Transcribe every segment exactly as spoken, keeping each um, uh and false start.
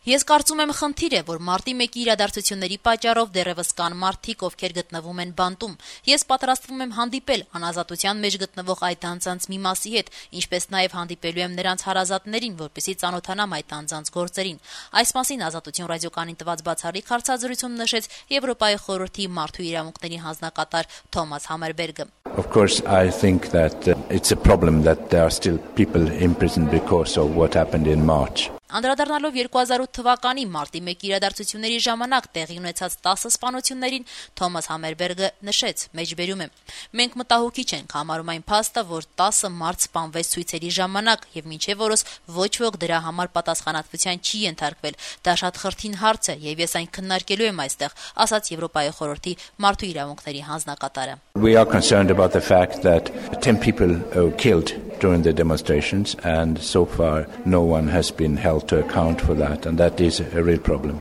Ես կարծում եմ խնդիր է, որ մարտի մեկի իրադարձությունների պատճառով դեռևս կան մարդիկ, ովքեր գտնվում են բանտում։ Ես պատրաստվում եմ հանդիպել անազատության մեջ գտնվող այդ անձանց մի մասի հետ, ինչպես նաև հանդիպելու եմ նրանց հարազատներին, որպեսզի ծանոթանամ այդ անձանց գործերին։ Այս մասին Ազատություն ռադիոկայանին տված բացառիկ հարցազրույցում նշեց Եվրոպայի խորհրդի մարդու իրավունքների հանձնակատար Թոմաս Համերբերգը։ Of course, I think that uh, it's a problem that there are still people imprisoned because of what happened in March. Անդրադառնալով երկու հազար ութ թվականի մարտի մեկի իրադարձությունների ժամանակ տեղի ունեցած տասը սպանություններին, Թոմաս Համերբերգը նշեց. մեջբերում եմ. մենք մտահոգիչ ենք համարում այն փաստը, որ տասը մարդ սպանվեց ցույցերի ժամանակ եւ մինչեւ օրս ոչ ոք դրա համար պատասխանատվության չի ենթարկվել։ Դա շատ խրթին հարց է եւ ես այն քննարկելու եմ այստեղ, ասաց Եվրոպայի խորհրդի մարդու իրավունքների հանձնակատարը։ We are concerned about the fact that ten people were killed during the demonstrations and so far no one has been held to account for that, and that is a real problem.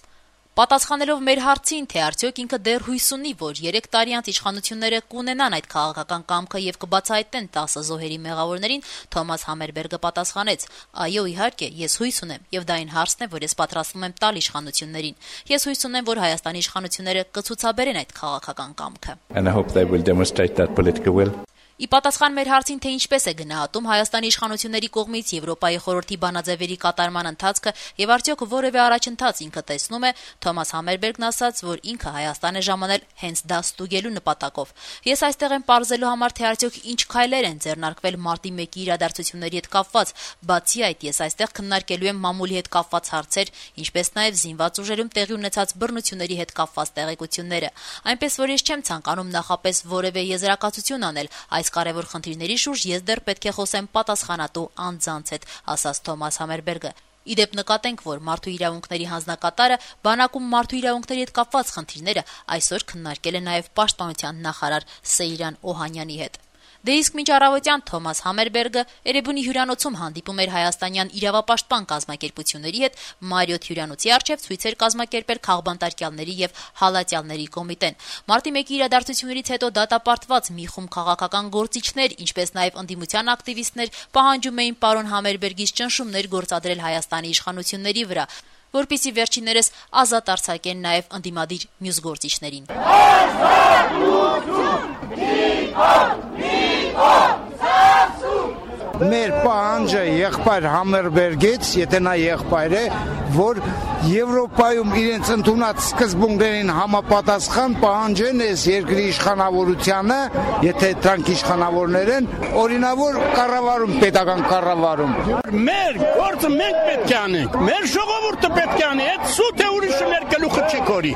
Պատասխանելով մեր հարցին, թե արդյոք ինքը դեռ հույս ունի, որ երեք տարի անց իշխանությունները կունենան այդ քաղաքական կամքը եւ կբացահայտեն տասը զոհերի մեղավորներին, Թոմաս Համերբերգը պատասխանեց. այո, իհարկե, ես հույս ունեմ, եւ դա այն հարցն է, որ ես պատրաստվում եմ տալ իշխանություններին։ Ես հույս ունեմ, որ Հայաստանի իշխանությունները կցուցաբերեն այդ քաղաքական կամքը։ And I hope they will demonstrate that political will. Ի պատասխան մեր հարցին, թե ինչպես է գնահատում Հայաստանի իշխանությունների կողմից Եվրոպայի խորհրդի բանաձևերի կատարման ընթացքը եւ արդյոք որևէ առաջընթաց ինքը տեսնում է, Թոմաս Համերբերգն ասաց, որ ինքը Հայաստան է ժամանել հենց դա ստուգելու նպատակով։ Ես այստեղ եմ պարզելու համար, թե արդյոք ինչ քայլեր են ձեռնարկվել մարտի մեկի իրադարձությունների հետ կապված։ Բացի այդ, ես այստեղ քննարկելու եմ մամուլի հետ կապված հարցեր, ինչպես նաեւ զինված ուժերում տեղի ունեցած բռնությունների հետ կապված տեղեկությունները։ Այնպես որ ես չեմ ցանկանում նախապես որևէ եզրակացություն անել այս կարևոր խնդիրների շուրջ ես դեռ պետք է խոսեմ պատասխանատու անձանց հետ, ասաց Թոմաս Համերբերգը։ Իդեպ նկատենք, որ մարդու իրավունքների հանձնակատարը բանակում մարդու իրավունքների հետ կապված խնդիրները այսօր քննարկել է նաև պաշտպանության նախարար Սեյրան Օհանյանի հետ։ Դե իսկ մինչ առավոտյան Թոմաս Համերբերգը Էրեբունի հյուրանոցում հանդիպում էր հայաստանյան իրավապաշտպան կազմակերպությունների հետ, Մարիոթ հյուրանոցի առջև ցույցեր կազմակերպել քաղբանտարկյալների եւ հալածյալների կոմիտեն։ Մարտի մեկի իրադարձություններից հետո դատապարտված մի խումբ քաղաքական գործիչներ, ինչպես նաեւ ընդդիմության ակտիվիստներ պահանջում էին պարոն Համերբերգից ճնշումներ գործադրել Հայաստանի իշխանությունների վրա, որպեսզի վերջիններս ազատ արձակեն նաև ընդդիմադիր մյուս գործիչներին։ Մեր պահանջը եղբայր Համերբերգից, եթե նա եղբայր է, որ Եվրոպայում իրենց ընդունած սկզբունքներին համապատասխան պահանջեն այս երկրի իշխանավորությանը, եթե դրանք իշխանավորներ են, օրինավոր կառավարում, պետական կառավարում։ Մեր գործը մենք պետք է անենք, մեր ժողովուրդը պետք է անի, այդ սուտ է ուրիշը մեր գլուխը չի կորի։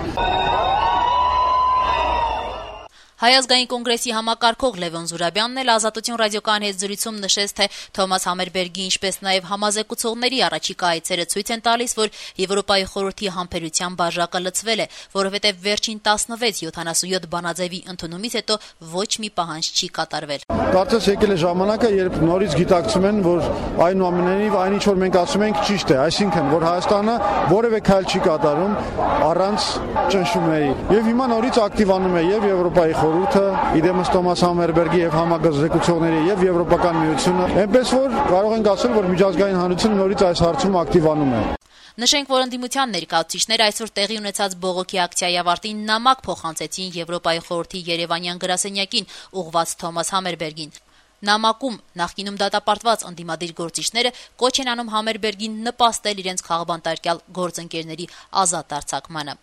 Հայ ազգային կոնգրեսի համակարգող Լևոն Զուրաբյանն էլ Ազատություն ռադիոկայանի հետ զրույցում նշեց, թե Թոմաս Համերբերգի, ինչպես նաև համազեկուցողների առաջիկա այցերը ցույց են տալիս, որ Եվրոպայի խորհրդի համբերության բաժակը լցվել է, որովհետև վերջին տասնվեց յոթանասունյոթ բանաձևի ընդունումից հետո ոչ մի պահանջ չի կատարվել։ Կարծես եկել է ժամանակը, երբ նորից գիտակցում են, որ այնուամենայնիվ այն ինչ որ մենք ասում ենք ճիշտ է, այսինքն որ Հայաստանը որևէ քայլ չի կատարում առանց ճնշումների։ Եվ հիմա նորից ակտիվանում է եւ Եվրոպայի խորհուրդը, իդեմս Թոմաս Համերբերգի եւ համագործակցողների եւ Եվրոպական միությունը, այնպես որ կարող ենք ասել, որ միջազգային հանրությունը նորից այս հարցում ակտիվանում է։ Նշենք, որ ընդդիմության ներկայացուցիչները այսօր տեղի ունեցած բողոքի ակցիայի ավարտին նամակ փոխանցեցին Եվրոպայի խորհրդի Երևանյան գրասենյակին ուղղված Թոմաս Համերբերգին։ Նամակում նախկինում դատապարտված ընդդիմադիր գործիչները կոչ են անում Համերբերգին նպաստել իրենց քաղբանտարկյալ գործընկերների ազատ արձակմանը։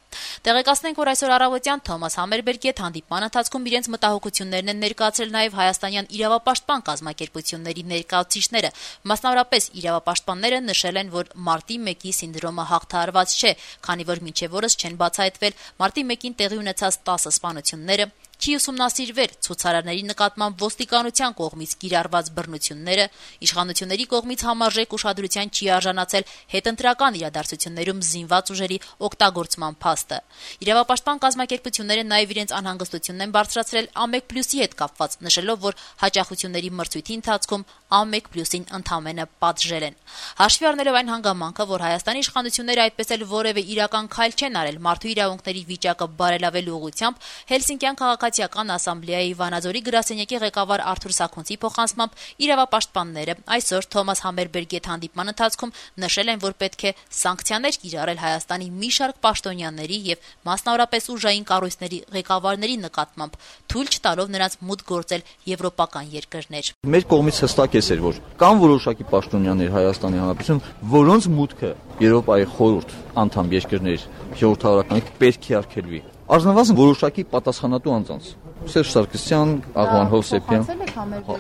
Տեղեկացնենք, որ այսօր առավոտյան Թոմաս Համերբերգի հետ հանդիպման ընթացքում իրենց մտահոգություններն են ներկայացրել նաև հայաստանյան իրավապաշտպան կազմակերպությունների ներկայացուցիչները։ Մասնավորապես իրավապաշտպանները նշել են, որ մարտի մեկի սինդրոմը հաղթահարված չէ, քանի որ մինչև օրս չեն բացահայտվել մարտի մեկին տեղի ունեցած տասը սպանությունները, չի ուսումնասիրվել ցուցարարների նկատմամբ ոստիկանության կողմից կիրառված բռնությունները, իշխանությունների կողմից համարժեք ուշադրության չի արժանացել հետընտրական իրադարձություններում զինված ուժերի օգտագործման փաստը։ Իրավապաշտպան կազմակերպությունները նաև իրենց անհանգստությունն են բարձրացրել ԱՄԵԿ պլյուսի հետ կապված, նշելով, որ հաճախությունների մրցույթի ընթացքում ԱՄԵԿ պլյուսին ընդամենը պատժել են։ Հաշվի առնելով այն հանգամանքը, որ Հայաստանի իշխանությունները այդպես էլ որևէ իրական քայլ չեն արել մարդու իրավունքների վիճակը բարելավելու ուղղությամբ, Հելսինկյան քաղաք Քաղաքացիական ասամբլեայի Վանաձորի գրասենյակի ղեկավար Արթուր Սաքունցի փոխանցմամբ իրավապաշտպանները այսօր Թոմաս Համերբերգի հետ հանդիպման ընթացքում նշել են, որ պետք է սանկցիաներ կիրառել Հայաստանի մի շարք պաշտոնյաների եւ մասնավորապես ուժային կառույցների ղեկավարների նկատմամբ, թույլ չտալով նրանց մուտք գործել եվրոպական երկրներ։ Մեր կողմից հստակ է, որ կան որոշակի պաշտոնյաներ Հայաստանի Հանրապետություն, որոնց մուտքը Եվրոպայի խորհուրդ անդամ երկրներ ժողովրդավարական պետք է արգելվի։ Առնվազն որոշակի պատասխանատու անձանց Սերժ Սարգսյան, Աղվան Հովսեփյան։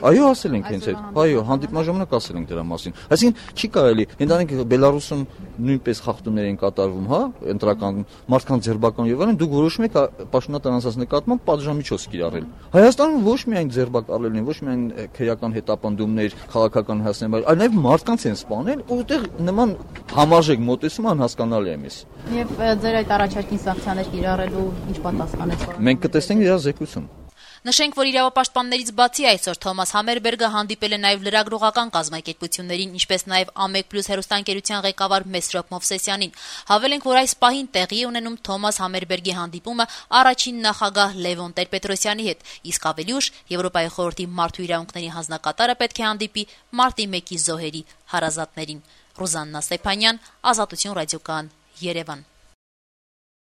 Այո, ասել ենք հենց այդ։ Այո, հանդիպման ժամանակ ասել ենք դրա մասին։ Այսինքն չի կարելի, ընդանենք Բելարուսում նույնպես խախտումներ են կատարվում, հա, ընտրական մարդկանց ձերբակալում եւ այլն, դուք որոշում եք պաշտոնատար անձանց նկատմամբ պատժամիջոց կիրառել։ Հայաստանում ոչ միայն ձերբակալել են, ոչ միայն քրեական հետապնդումներ, քաղաքական հասցնել, այլ նաեւ մարդկանց են սպանել, որտեղ նման համարժեք մոտեցումը անհասկանալի է մեզ։ Եվ ձեր այդ առաջարկին սանկցիաներ կիրառելու ինչ պատասխան եք։ Մենք կտեսնենք դրա զեկույցում։ Նշենք, որ իրավապաշտպաններից բացի այսօր Թոմաս Համերբերգը հանդիպել է նաև լրագրողական կազմակերպություններին, ինչպես նաև Ամեկ Պլյուս հեռուստաընկերության ղեկավար Մեսրոպ Մովսեսյանին։ Հավելենք, որ այս պահին տեղի է ունենում Թոմաս Համերբերգի հանդիպումը առաջին նախագահ Լևոն Տեր-Պետրոսյանի հետ, իսկ ավելի ուշ Եվրոպայի խորհրդի մարդու իրավունքների հանձնակատարը պետք է հանդիպի մարտի մեկի զոհերի հարազատներին։ Ռուզաննա Ստեփանյան, Ազատություն ռադիոկայան, Երևան։